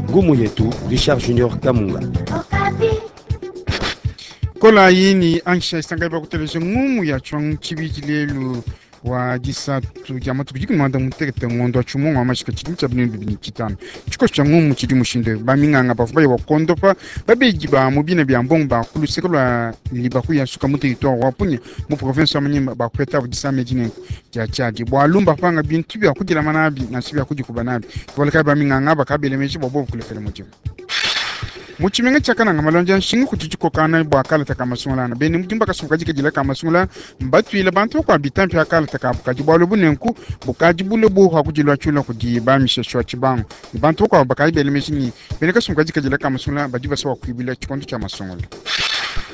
Ngumu yetu Richard Junior Kamunga. Kolayi ni angisha isangayi bakuteleja ngumu ya tshiwangu tshibidi lelu wa disatu dia matuku dikumi muanda mutekete ngondo wa tshimungu wa mashika tshidimu tshia binunu bibidi ne tshitanu. Tshikoso tshia ngumu tshidi mushindu eu, baminganga bavua baye bakondopa babedi ba mu bina bia mbongo ba ku luseke lua Libaku ya Suka mu territoire wa Punya mu province wa Maniema bakupetabu disama edi nenku dia tshiadi bualu mbapanga bintu bia kudilama nabi nansha bia kudikuba nabi. Ke bualu kayi baminganga aba kabela meji bua bobu kulekela mudimu. Mu tshimenga tshia Kananga, malonji a nshinga kudi dikokangana bua kalata ka masungula ana. Bena mudimu ba kasumbu kadi kadila ka masungula mbatuile bantu bakuabu bitampi pa kalata kabu kadi bualu ebu nenku bukadi bule buowa ku diluatshula kudi ba Misheshe wa Tshibangu ne bantu bakuabu bakadi bela meji ne, bena kasumbu kadi kadila ka masungula badi basua kuibila tshikondo tshia masungula.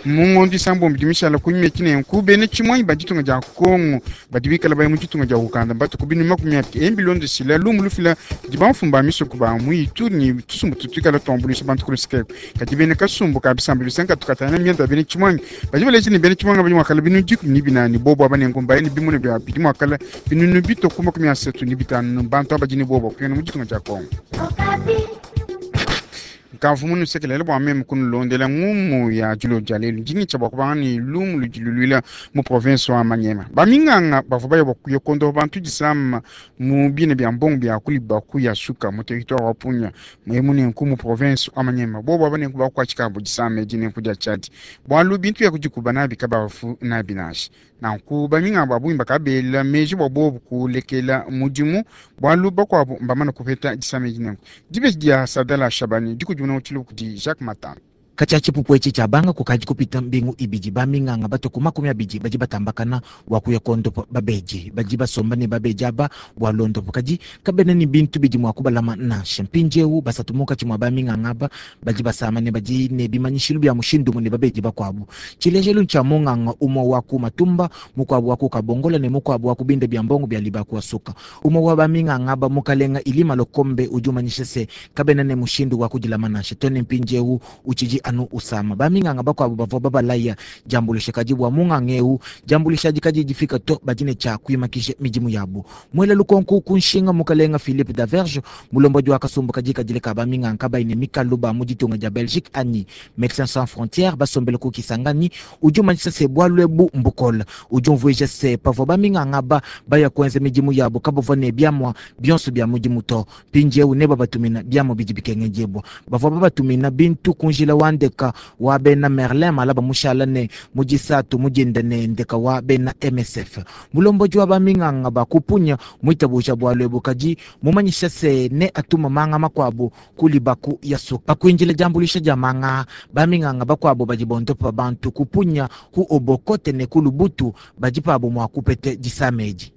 Mu ngondo isambombo idi mishala kunyima etshi nenku, bena tshimuangi ba ditunga dia Congo badi bikala baya mu ditunga dia Ouganda mbatue ku binunu 20 bilondeshila lumu lufila kudi bamfumu ba misoko ba mu Ituri ne tusumbu tutu tuikala tuambuluisha bantu ku luseke eku. Kadi bena kasumbu ka bisamba bisanka katu katangila mianda ya bena tshimuangi badi baleja ne, bena tshimuangi badi mua kala binunu 14 bobu aba nenku mbaya ne bimuna bia bidi mua kala binunu bitue ku 35 bantu aba badi ne buowa bua kupingana mu ditunga dia Congo. Nkavua munusekelele bua meme kunulondela ngumu ya dilolo dia lelu. Ndi ngitshia bua kubanga ne lumu ludi luluila mu province wa Maniema. Baminganga bavua baya bua kuya kuondopa bantu disama mu bina bia mbongo bia ku Libaku ya Suka mu territoire wa Punya emu nenku mu province wa Maniema. Bobu aba nenku bakuatshikabu disama edi nenku dia tshiadi bualu bintu bia kudikuba nabi kabavu nabi nansha. Nanku baminganga ba bungi bakabela meji bua bobu kulekela mudimu bualu bakuabu mbamane kupeta disama edi nenku. Dibeji dia Sadala Shabani dikudimuna mu tshiluba kudi Jacques Matamba. Katshia tshipupu etshi tshiabanga kukadi kupita mbingu ibidi, baminganga batue ku 20 badi batambakana bua kuya kuondopa babedi. Badi basomba ne babedi aba bua luondopu, kadi kabena ne bintu bidi mua kubalama nansha. Mpindieu basatu munkatshi mua baminganga aba badi basama ne badi ne bimanyishilu bia mushindu umue ne babedi bakuabu. Tshilejelu ntshia munganga umue wa ku Matumba, mukuabu wa ku Kabongola ne mukuabu wa ku binda bia mbongo bia Libaku-Asuka. Umue wa baminganga aba, Mukalenga Ilima Lokombe, udi umanyisha se, kabena ne mushindu wa kudilama nansha. Too ne mpindieu utshidi anu usama. Baminganga bakuabu bavua babalaya diambuluisha, kadi bua munganga eu, diambuluisha adi kadiyi difika to. Badi ne tshia kuimakija midimu yabu. Muela lukonku ku nshinga, Mukalenga Philippe Daverge, mulombodi wa kasumbu kadikadile ka baminganga kabayi ne mikalu ba mu ditunga dia Belgique anyi Medecins Sans Frontieres basombele ku Kisangani, udi umanyisha se, bualu ebu mbukole. Udi umvuija se, pavua baminganga aba baya kuenza midimu yabu, kabavua ne biamua bionso bia mudimu to. Mpindieu nebabatumina biamua bidi bikengedibua. Bavua babatumina bintu ku njila wa ndeka wa bena Merlin malaba mushala ne mu disatu mu dinda ne ndeka wa bena MSF. Mulombodi wa baminganga ba ku Punya muitabuja bualu ebu, kadi mumanyisha se, neatuma manga makuabu ku Libaku ya Suka. Pa kuindila diambuluisha dia manga aa, baminganga bakuabu badi bondopa bantu ku Punya, ku Obokote ne ku Lubutu badi pabu mua kupeta disama edi.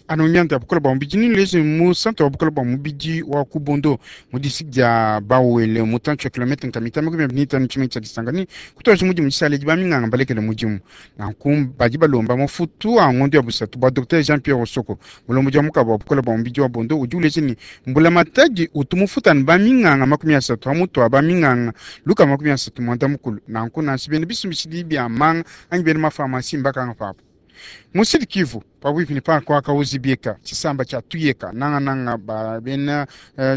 Anu mianda ya bukole bua mubidi nenuleje mu centre wa bukole bua mubidi wa ku Bondo mu district dia Bas-Uele mutantshi wa kilometre nkama itanu 25 tshimenga tshia Kisangani kutuadija mudimu dishala edi baminganga mbalekele mudimu. Nanku badi balomba mafutu a ngondo ya busatu bua Docteur Jean Pierre Osoko mulombodi wa mukabu wa bukole bua mubidi wa Bondo udi uleja ne mbulamatadi utu mufuta anu baminganga 30 pa mutu wa baminganga 330. Nanku nansha bena bisumbishidi bia manga anyi bena mafamasi mbakanga pabu. Mu Sud Kivu, pabuipi ne parke wa Kahuzi-Biega, tshisamba tshia Tuyeka, nangananga ba bena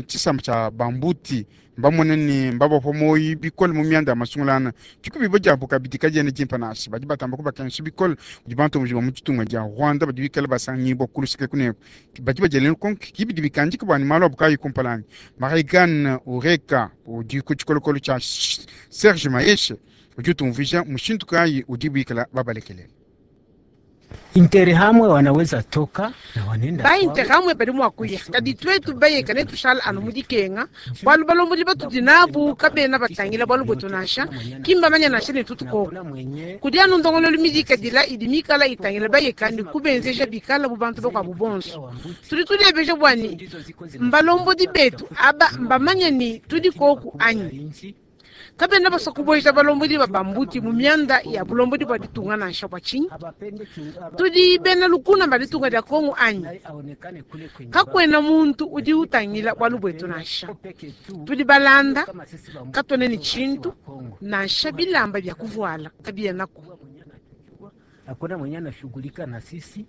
tshisamba tshia Bambuti, mbamone ne, mbabapua muoyo bikole mu mianda ya masungulangana. Dikubibua diabu kabidi kadiena dimpe nansha. Badi batamba kubakengesha bikole kudi bantomboji ba mu ditunga dia Rwanda badi bikale basanganyibua ku luseke eku ne eku. Badi badiela lukonko, Ki bidi bikandika bua ne malu abu kaayi kumpala anyi? Marie-Anne Ureka udi ku tshikolokolo tshia Serge Maheshe udi utumvuija mushindu kayi udibu bikale babalekelele. Interahamwe wanaweza toka na wanenda Ba Interahamwe badi mua kuya, kadi tuetu bayeka netushale anu mu dikenga, bualu balombodi batudi nabu kabena batangila bualu buetu nansha, ki mbamanye nansha ne tutu koku. Kudi anu ndongoluelu midikadila idi mikala itangila bayeka ne kubenzeja bikala bu bantu bakuabu bonso. Tudi tudiebeja bua ne, mbalombodi betu aba mbamanye ne tudi koku anyi? Kabena basua kubueja balombodi ba bambuti mu mianda ya bulombodi bua ditunga nansha. Bua tshinyi? Tudi bena lukuna ba ditunga dia Kongo anyi? Kakuena muntu udi utangila bualu buetu nansha. Tudi balanda, katuena ne tshintu, nansha bilamba bia kuvuala kabienaku. Hakuna mwenye anashughulika na sisi.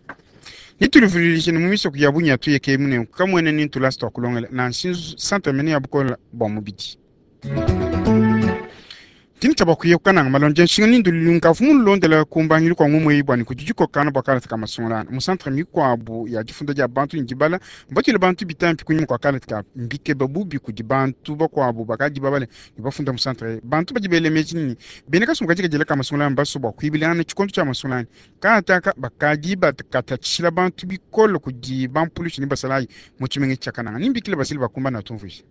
Nitulivululishe ne mu misoko ya bunya tuyeke mune kamwene ni ntulasi twa kulongela nansha centre mene ya bukola bua mubidi. Tini tshia bakuye kukananga malonje nshinga ni ndululu nkavu mulondela kumbangilu kwa ngumwe ibwani kudi dikokana bua kalata ka masungulana mu centre mikuabu ya difunda dia bantu ne dibala mbatule bantu bitampi kunyima kua kalata ka mbikeba bubi kudi bantu bakuabu bakadi babale ne bafunda mu centre bantu badi bele meji nini bene kasumbu kadi kadila ka masungulana baso bua kuibilana tshikondo tshia masungulana kataka bakadi bakatatshila bantu bikole kudi bampulushi ne basalayi mu tshimenga tshia Kananga nimbikile basili bakumbana tumvuisha.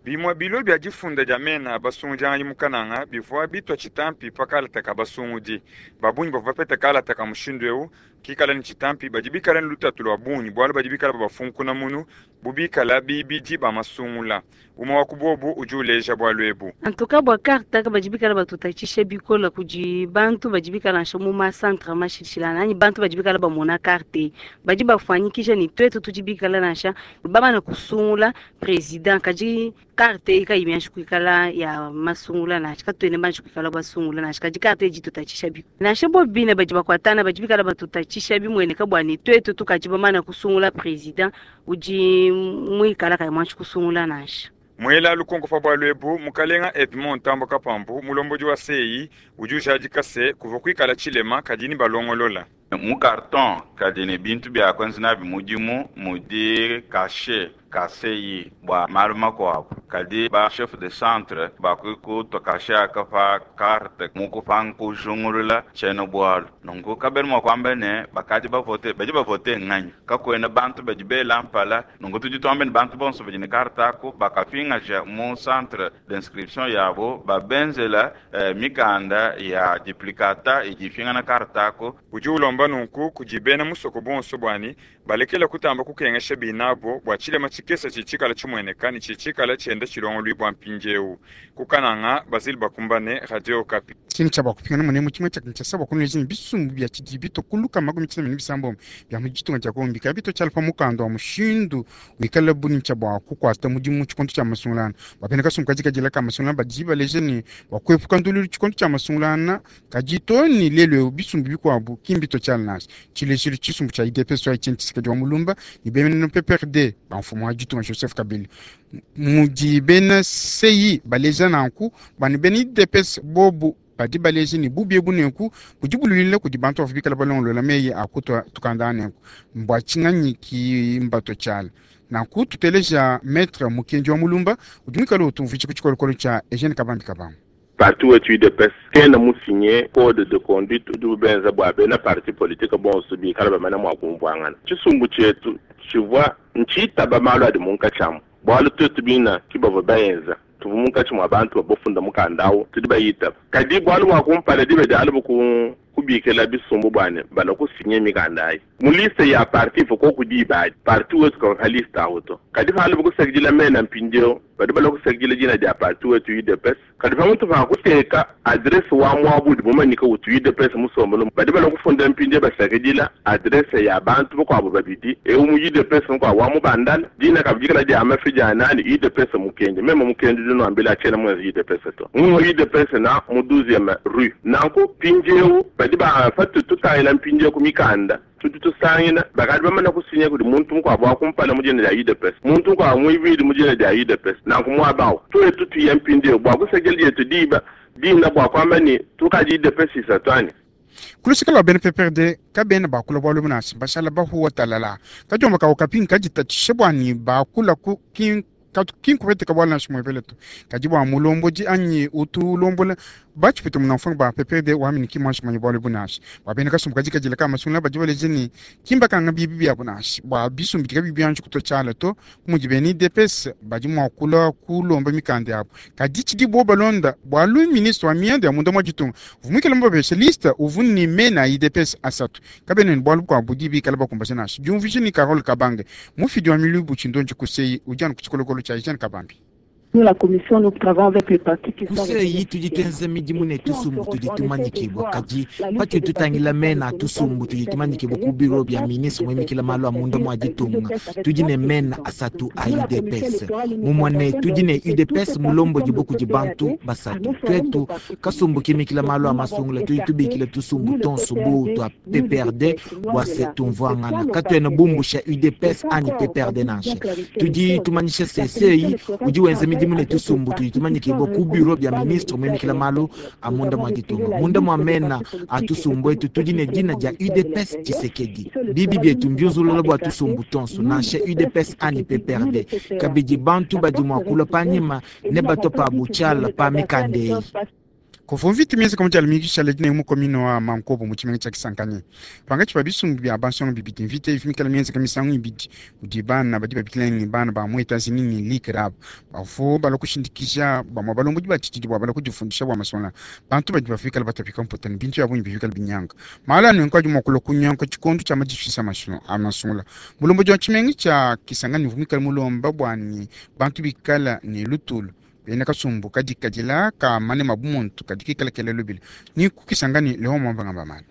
Bimue bilo bia difunda dia mena a basungudianganyi mu Kananga bivua bitua tshitampi pa kalata ka basungudi. Ba bungi bavua bapeta kalata ka mushindu eu kikala ne tshitampi badi bikala ne lutatu lua bungi bualu badi bikala babafunkuna munu bu bikala bibidi ba masungula. Umue wa ku bobu udi uleja bualu ebu. En tout cas bua carte aka badi bikala batutatshisha bikola kudi bantu badi bikala nansha mu ma centre mashilashilangana anyi bantu badi bikala bamona carte badi bafuanyikija ne tuetu tudi bikala nansha bamana kusungula president kadi carte eyi kayi mianji kuikala ya masungula nansha katuena banji kuikala basungula nansha kadi carte eyi ditutatshisha bikole nansha bo bine badi bakuatana badi bikala batutatshisha bimueneka bua ne tuetu tukadi bamana kusungula president udi muikala kayi muanji kusungula nansha. Muela lukonko pa bualu ebu, mukalenga Edmond Ntambwe Kapambu, mulombodi wa CEI, udi ujadika se, kuvua kuikala tshilema kadi ne balongolola. Mu karton kadi ne bintu bia kuenza nabi mudimu mudi kashe ka CEI bua malu makuabu. Kadi ba chef de centre bakutua kashe aka pa carte mu kupanga kujungulula tshiena bualu. Nunku kabena mua kuamba ne bakadi bavote, badi bavote nganyi? Kakuena bantu badi bela mpala. Nunku tudi tuamba ne bantu bonso badi ne carte aku bakapingaja mu centre d'inscription yabo babenzela mikanda ya duplicata idi ipingana carte aku. Udi ulomba nunku kudi bena musoko bonso buani balekela kutamba kukengesha binabo bua tshilema tshikese tshitshikala tshimueneka ne tshitshikala tshienda tshilongoluibua mpindieu. Ku Kananga, Basile Bakumbane, Radio Okapi. Tshini tshia bakupingana munemu tshimue tshia Kinshasa bua kunuleja ne bisumbu bia tshidi bito kuluka 93 bia mu ditunga dia Kongo bikala bito tshiala pa mukanda wa mushindu wikala bunitshia bua kukuata mudimu tshikondo tshia masungulana. Bapena kasumbu kadi kadila ka masungulana badi baleja ne bua kuepuka ndululu tshikondo tshia masungulana kadi to ne lelu eu bisumbu bikuabu ki mbito tshiala nansha. Tshilejelu tshisumbu tshia UDPS wa Etienne Tshisekedi wa Mulumba ne bena PPRD ba mfumu wa ditunga Joseph Kabila mudi bena CI baleja nanku bani bena UDPS bobu badi baleja ne bubi ebu nenku budi bululila kudi bantu bavua bikala balongolola meyi a kutua tukanda nenku mbua tshinganyi ki mbato tshiala nanku tuteleja maître Mukendi wa Mulumba udi muikale utumvuija ku tshikolokolo tshia Eugene Kabambi Kabangu. Parti wetu UDPS kena musinye code de conduite udi ubenza bua bena parti politique bonso bikala bamana mua kumvuangana. Tshisumbu tshietu tshivua ntshitaba malu adi munkatshi amu bualu tuetu bina ki bavua baenza tuvua munkatshi mua bantu bafunda mukanda awu tudi bayitaba. Kadi bualu bua kumpala diba dialubu ku kubikila bisumbu bua ne bala kusinye mikanda ayi mu liste ya parti ifo koku diba adi parti wetu kavua pa liste awu to. Kadi palubu kusakidila mena mpindieu badi bala kusakidila dina dia parti wetu UDPS. Kadi pamutu pa kuteka adresse wa muabu udi mumanyike utu UDPS musombelu badi bala kufunda mpindieu basakidila adresse ya bantu bakuabu babidi eu mu UDPS mukuabu wa mubandala dina kabidikala dia mafi dia nani UDPS mukendi meme mukendi dinuambila tshiena muenza UDPS to mu UDPS na mu 12e rue nanku mpindieu badi ba patu tutangila mpindieu ku mikanda tudi tusangina bakadi bamana kusinya kudi muntu mukuabu wa kumpala mu dina dia UDPS muntu mukuabu muibidi mu dina dia UDPS nanku muaba awu tuetu tuya mpindieu bua kusakila dietu diba dina bua kuamba ne tukadi UDPS isatu anyi. Kuluseka lua bena PPRD kabena bakula bualu nansha bashala bahuwa talala kadiomba kawo kapi kaditatshisha bua ne bakula ku kinkupeteka bualu nansha muepele to kadi bua mulombodi anyi utu ulombola batshipete munamfunga ba PPRD wamini ki mwanshi manya bualu ebu nansha bua bena kasumbu kadi kadila ka masungula badi baleja ne kimbakanga bibi biabu nansha bua bisumbu bidi kabiyi bianji kutua tshiala to mudi bena UDPS badi mua kulua kulomba mikanda yabu kadi tshidibo balonda bualu ministre wa mianda ya munda mua ditunga uvua muikale mubapesha liste uvua ne mena a UDPS asatu kabena ne bualu bukuabu budi bikala bakumbaja nansha diumvuija ni Carole Kabange mufidi wa milubu tshindonji kuseyi udi anu ku tshikolokolo tshia Eugene Kabambi. Ku CEI tudi tuenza midimu ne tusumbu tudi tumanyikibua, kadi patudi tutangila mena a tusumbu tudi tumanyikibua ku biro bia ministre muimikila malu a munda mua ditunga, tudi ne mena asatu a UDPS. Mumua ne tudi ne UDPS mulombodibue kudi bantu basatu. Tuetu kasumbu kimikila malu a masungula tudi tubikila tusumbu tonso bu tua PPRD bua se tumvuangana. Katuena bumbusha UDPS anyi PPRD nansha. Tudi tumanyisha se CEI udi wenza midimu ne tusumbu tudi tumanyikibua ku biro bia ministre muimikila malu a munda mua ditunga. Munda mua mena a tusumbu etu tudi ne dina dia UDPS Tshisekedi. Bibi bietu mbiunzulula bua tusumbu tonso, nansha UDPS anyi PPRD. Kabidi bantu badi mua kulua panyima ne batua pabu tshiala pa mikanda eyi. Kuvua mvita mienzeka mu dia lumingu dishale dine mu commune wa Mankobo mu tshimenga tshia Kisangani. Pankatshi pa bisumbu bia bansonga bibidi, mvita ivua mikale mienzeka misangu ibidi kudi bana badi babikila ne bana ba mu Etats-Unis ne Likrab bavua balua kushindikija bamue balombodi ba tshididi bua balua kudifundisha bua masungula. Bantu badi bavua bikale batapika mputa ne bintu bia bungi bivua bikale binyanga. Malu a nunku adi mua kulua kunyanguka tshikondo tshia madifundisha a masungula. Mulombodi wa tshimenga tshia Kisangani uvua muikale mulomba bua ne bantu bikale ne lutulu. Bena kasumbu kadikadila ka manema bu muntu kadi kikala kela lubila ni ku Kisangani Leon Mwamba ngamba malu.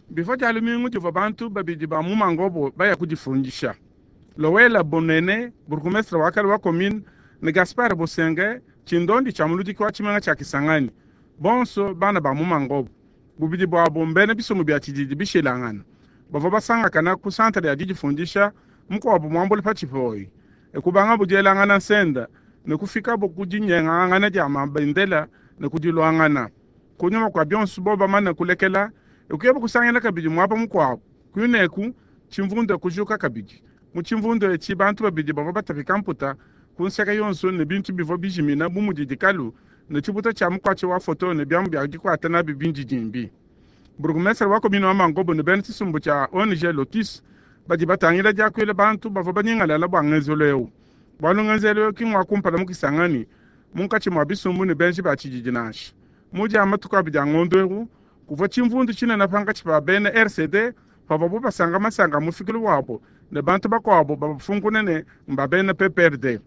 Bivua dia lumingu divua bantu babidi ba mu Mangobo baya kudifundisha. Lowela Bonene, burgomestre wa kale wa commune, ne Gaspard Bosenge, tshindondi tshia muludiki wa tshimenga tshia Kisangani, bonso bana ba mu Mangobo. Bubidi buabu mbena bisumbu bia tshididi bishilangana. Bavua basangakana ku centre ya didifundisha, mukuabu muambule pa tshipoyi. E kubangabu dielangana nsenda ne kufikabo ku dinyengangana dia mabendela ne ku diluangana. Kunyima kua bionso bobo bamane kulekela, e kuyabo kusangila kabidi muaba mukuabu. Kuineku, tshimvundu e kujuka kabidi. Mu tshimvundu etshi, bantu babidi bavua batapika mputa ku nseke yonso ne bintu bivua bijimina bu mudi dikalu ne tshibuta tshia mukuatshi wa foto ne biamu bia dikuata nabi bindidimbi. Burgomestre wa commune wa Mangobo ne bena tshisumbu tshia ONG Lotus badi batangila diakuila bantu bavua banyingalala bua ngenzelu eu. Bualu ngenzelu eu ki ngua kumpala mu Kisangani munkatshi mua bisumbu ne benji ba tshididi nansha. Mu dia matuku abidi a ngondo eu, kuvua tshimvundu tshinene pankatshi pa bena RCD pavuabu basanga masanka a mufikilu wabu ne bantu bakuabu babafunkune ne mba bena PPRD.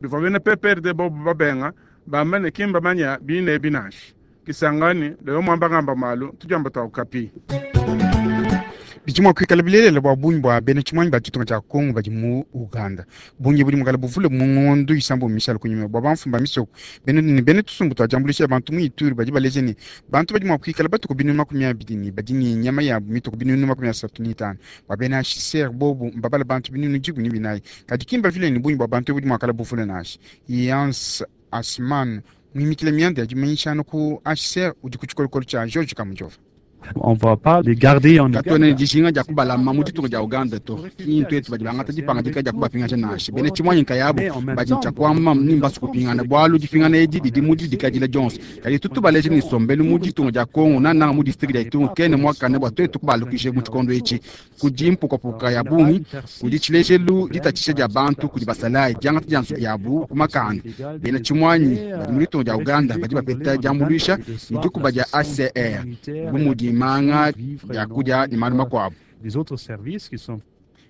Bivua bena PPRD bobu babenga, bamba ne ki mbamanya bine ebi nansha. Kisangani, Leo Mwamba ngamba malu, tudiamba tua Okapi. Bidi mua kuikala bilelela bua bungi bua bena tshimuangi ba ditunga dia Congo badi mu Uganda. Bungi budi muikale buvule mu ngondo isambombo mishale kunyima bua bamfumu ba misoko bena ne bena tusumbu tua diambuluisha bantu mu Ituri badi baleja ne, bantu badi mua kuikala batue ku binunu 20 ne badi ne nyama yabu mitue ku binunu 35. Bua bena HCR bobu mbabale bantu binunu 14, kadi ki mbavile ne bungi bua bantu ebu budi mua kala buvule nansha. Yance Asman muimikile mianda ya dimanyishana ku HCR udi ku tshikolokolo tshia George Kamujova. On va pas les garder en Katuena ne dijinga dia kubalama mu ditunga dia Uganda to. Ki ntuetu badi bangata dipangadika dia kubapingaja nansha. Bena tshimuangi nkayabu badi ne tshia kuamba ni mbasue kupingana, bualu dipingana edi didi mu didikadila dionso. Kadi tutu baleje ne, nsombelu mu ditunga dia Congo, nangananga mu distrike dia Ituri, kena muakane bua tuetu kubalukija mu tshikondo etshi. Kudi mpukapuka ya bungi. Kudi tshilejelu ditatshisha dia bantu kudi basalayi, diangata dia nzubu yabu ku makanda. Bena tshimuanyi badi mu ditunga dia Uganda badi bapeta diambuluisha ne dikuba dia HCR bu mudi manga, biakudia ne malu makuabu.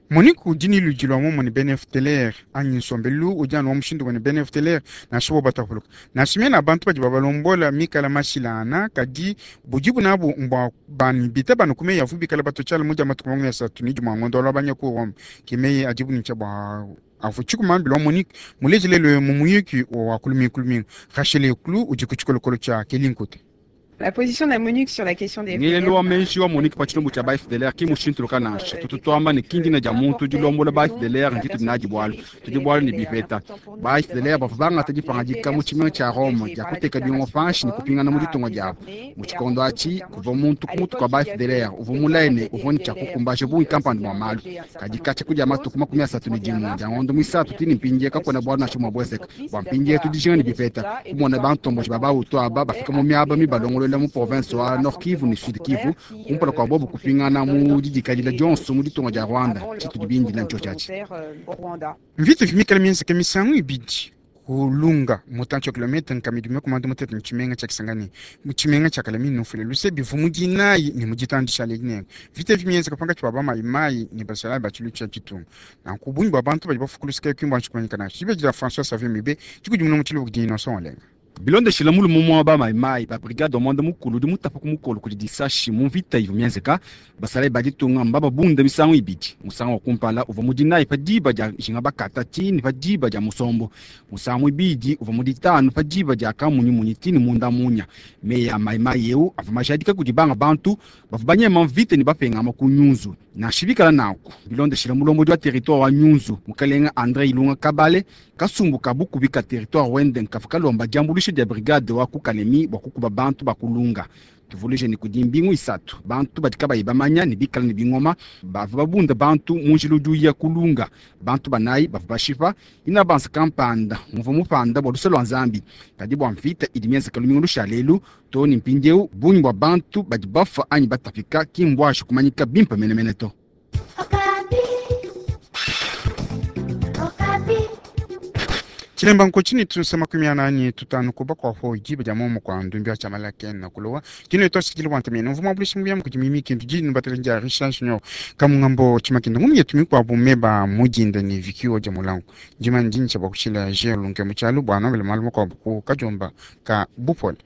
Monique udi ne luidi lua muomumue ne bena FDLR anyi nsombelu udi anu wa mushindu umue ne bena FDLR nansha bobu batapuluka. Nansha mena a bantu badi babalombola mikale mashilangana, kadi budibu nabu mbua bani bitaba anu ku meyi avuabu bikale batua tshiala mu dia matuku 31 a ngondo wa Luabanya ku Rome. Ke meyi adibu ne tshia bua avua tshikuma-mbilu wa Monique muleje lelu eu mu muyuki wa ku lumingu ku lumingu. Rachel Eklu udi ku tshikolokolo tshia Kelly Nkute. La position de la MONUC sur la question des Ngelelu wa meji wa MONUC pa tshilumbu tshia ba FDLR ki mmushintuluka nansha. Tutu tuamba ne, ki ndina dia muntu dilombola ba FDLR nditudi nadi bualu. Tudi bualu ne bipeta. Ba FDLR bavua bangata dipangadika mu tshimenga tshia Rome dia kuteka bingoma panshi ne kupingana mu ditunga diabu. Mu tshikondo atshi, kuvua muntu ku mutu kua ba FDLR uvua mulaye ne, uvua ne tshia kukumbaja bungi kampanda bua malu. Kadi katshia ku dia matuku 31 dia ngondo muisatu too ne mpindieu kakuena bualu nansha bumue buenzeka. Bua mpindieu tudi dijinga ne bipeta, kumona bantomboji ba ba-Hutu aba bafika mu miaba mibalongoluela mu provense wa Nord-Kivu ne Sud-Kivu kumpala kua bobu kupingana mu didikadila dionso mu ditunga dia Rwanda. Tshitudi bindile ntshiotshi atshi. Mvita ivua mikale mienzeke misangu ibidi. Ku Lunga, mutantshi wa kilometa nkama idi makumi mutete ne tshimenga tshia Kisangani, mu tshimenga tshia Kalemie. Nufuile luse, bivua mu dinayi ne mu ditanu dishale dinene. Mvita evi mienzeka pankatshi pa bamayimayi ne basalayi ba tshiluilu tshia ditunga. Nanku bungi bua bantu badi bafua ku luseke ki mbuanji kumanyika nansha. Dibeji dia François Xavier Mibe dikudimuna mu tshiluba kudi Innocent Olenga. Bilondeshile mulume umue wa bamayimayi ba brigade wa muanda mukulu udi mutapa ku mukolo kudi disashi mu mvita ivua mienzeka, basalayi ba ditunga mbababunde misangu ibidi. Musangu wa kumpala uvua mu dinayi pa diba dia jinga bakata too ne pa diba dia musombo. Musangu muibidi uvua mu ditanu pa diba dia kamunyimunyi too ne munda munya. Meyi a mayimayi eu avua majadika kudi banga bantu bavua banyema mvita ne bapengama ku Nyunzu. Nansha bikala nanku, bilondeshile mulombodi wa territoire wa Nyunzu, mukalenga Andre Ilunga Kabale, kasumbu ka bukubi ka territoire wende nkavua kalomba diambuluisha dia brigade wa ku Kalemi bua kukuba bantu ba ku Lunga. Tuvuluije ne kudi mbingu isatu, bantu badi kabayi bamanya ne bikala ne bingoma bavua babunda bantu mu njila udi uya ku Lunga. Bantu banayi bavua bashipa inabanza kampanda muvua mupanda bua luse lua Nzambi. Kadi bua mvita idi mienzeka lumingu lushale elu, too ne mpindieu bungi bua bantu badi bafua anyi batapika ki mbuanji kumanyika bimpe menemene to. Tshilemba nkotshi ne tusa 45 ku bakuapo diba dia momo kua ndumbi wa tshiamala kena kulowa dino twashikile bua ntamene mvua muambuluishi mubiamu kudi mimi kintu dino batele dia Richard Junior kamungambo tshimakinda ngumi yetu mikuabu meba mudinda ne vikiwo dia mulangu ndima ndintsha bua kushila Jean Lunke mu tshialu bua nambele malu makuabu ku kadiomba ka bupole.